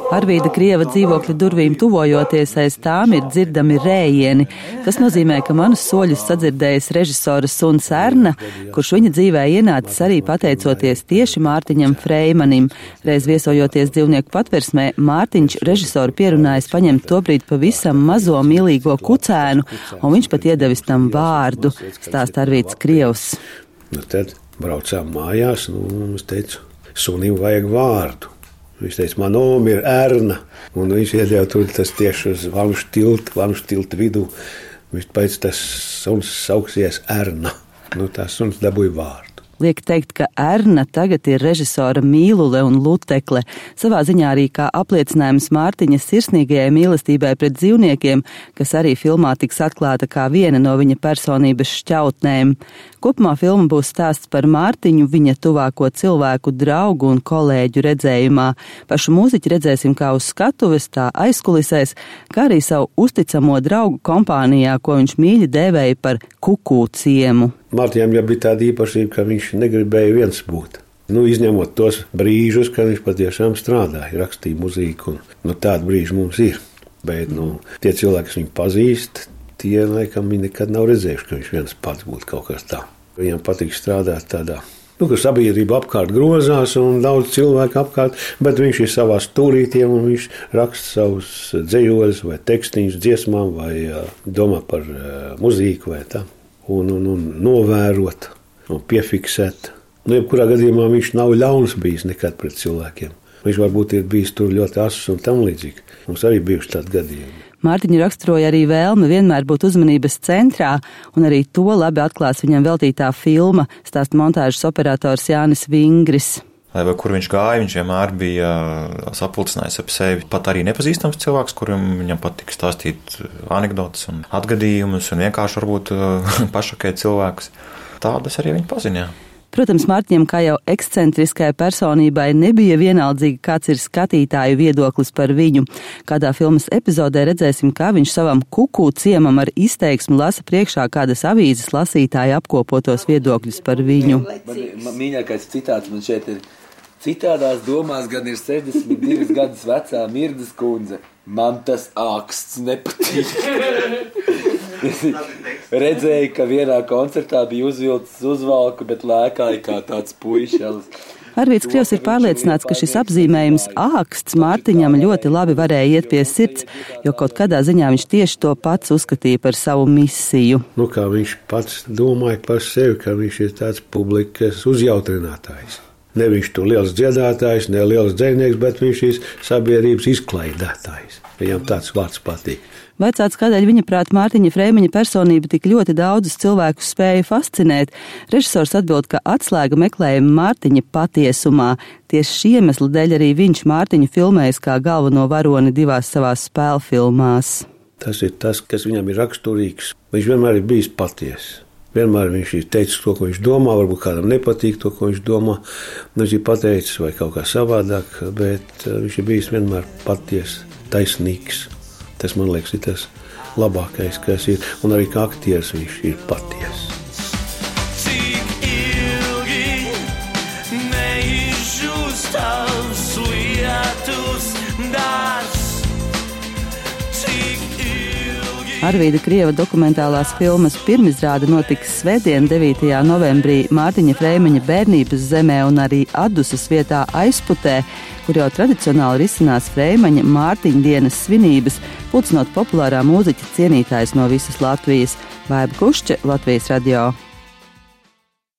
Arvīda Krieva dzīvokļa durvīm tuvojoties, aiz tām ir dzirdami rējieni. Tas nozīmē, ka manus soļus sadzirdējis režisora suns Erna, kurš viņa dzīvē ienācis arī pateicoties tieši Mārtiņam Freimanim. Reiz viesojoties dzīvnieku patversmē, Mārtiņš režisoru pierunājis paņemt tobrīd pavisam mazo mīlīgo kucēnu, un viņš pat iedevis tam vārdu, stāsta Arvīds Krievs. Tad braucām mājās, es teicu, sunim vajag vārdu. Viņš teica, man oma ir Erna, un viņš iedēja tur tas tieši uz Vamšu tilta vidū. Viņš teica, tas suns sauksies Erna. Tās suns dabūja vārdu. Liek teikt, ka Erna tagad ir režisora mīlule un lutekle, savā ziņā arī kā apliecinājums Mārtiņa sirsnīgajai mīlestībai pret dzīvniekiem, kas arī filmā tiks atklāta kā viena no viņa personības šķautnēm. Kopumā filma būs stāsts par Mārtiņu, viņa tuvāko cilvēku, draugu un kolēģu redzējumā. Pašu mūziķi redzēsim kā uz skatuves, tā aizkulisēs, kā arī savu uzticamo draugu kompānijā, ko viņš mīļi dēvēja par Kukū ciemu. Mārtiņam jau bija tāda īpašība, ka viņš negribēja viens būt. Izņemot tos brīžus, kad viņš patiešām strādāja, rakstīja muziku, un tādi brīži mums ir. Bet tie cilvēki, kas viņu pazīst, tie laikam viņi nekad nav redzējuši, ka viņš viens pats būtu kaut kas tā. Viņam patīk strādāt tādā, ka sabiedrība apkārt grozās un daudz cilvēku apkārt, bet viņš ir savā stūrītiem un viņš raksta savus dzejoļus vai tekstiņus dziesmām vai domā par muziku vai tā. Un novērot un piefiksēt. Jebkurā gadījumā viņš nav ļauns bijis nekad pret cilvēkiem. Viņš varbūt ir bijis tur ļoti asus un tam līdzīgi. Mums arī bijuši tādi gadījumi. Mārtiņu raksturoja arī vēlme vienmēr būt uzmanības centrā, un arī to labi atklās viņam veltītā filma, stāsta montāžas operators Jānis Vingris. Vai kur viņš gāja, viņš vienmēr bija sapulcinājis ap sevi pat arī nepazīstams cilvēks, kuram viņam patika stāstīt anekdotas un atgadījumus un vienkārši varbūt pašokēt cilvēkus. Tādas arī viņi paziņā. Protams, Mārtiņam, kā jau ekscentriskai personībai, nebija vienaldzīgi, kāds ir skatītāju viedoklis par viņu. Kādā filmas epizodē redzēsim, kā viņš savam Kukū ciemam ar izteiksmu lasa priekšā kādas avīzes lasītāju apkopotos viedokļus par viņu. Man mīļākais citāts man šeit ir: citādās domās gan ir 62 gadus vecā Mirdas kundze. Man tas āksts nepatīk. Redzēju, ka vienā koncertā bija uzvilcis uzvalku, bet lēkāja kā tāds puišelis. Arvīds Krievs ir pārliecināts, ka šis apzīmējums āksts Mārtiņam ļoti labi varēja iet pie sirds, jo kaut kādā ziņā viņš tieši to pats uzskatīja par savu misiju. Kā viņš pats domāja par sevi, ka viņš ir tāds publikas uzjautrinātājs. Ne viņš tur liels dziedātājs, ne liels dzejnieks, bet viņš ir sabiedrības izklaidētājs. Viņam tāds vārds patīk. Vaicāts, kādēļ viņa prāt Mārtiņa Freimaņa personība tik ļoti daudzus cilvēkus spēja fascinēt. Režisors atbild, ka atslēga meklējuma Mārtiņa patiesumā. Tieši šī iemesla dēļ arī viņš Mārtiņu filmējis kā galveno varoni divās savās spēlfilmās. Tas ir tas, kas viņam ir raksturīgs. Viņš vienmēr ir bijis patiess. Vienmēr viņš ir teicis to, ko viņš domā, varbūt kādam nepatīk to, ko viņš domā. Viņš ir pateicis vai kaut kā savādāk, bet viņš ir bijis vienmēr patiess, taisnīgs. Tas, man liekas, ir tas labākais, kas ir. Un arī kā aktieris viņš ir patiess. Cik ilgi neizžūst tavs lietus dārs? Arvīda Krieva dokumentālās filmas pirmizrāde notiks svētdien 9. novembrī Mārtiņa Freimaņa bērnības zemē un arī Adusas vietā Aizputē, kur jau tradicionāli risinās Freimaņa Mārtiņa dienas svinības, pulcinot populārā mūziķa cienītājs no visas Latvijas. Vaiba Kušče, Latvijas radio.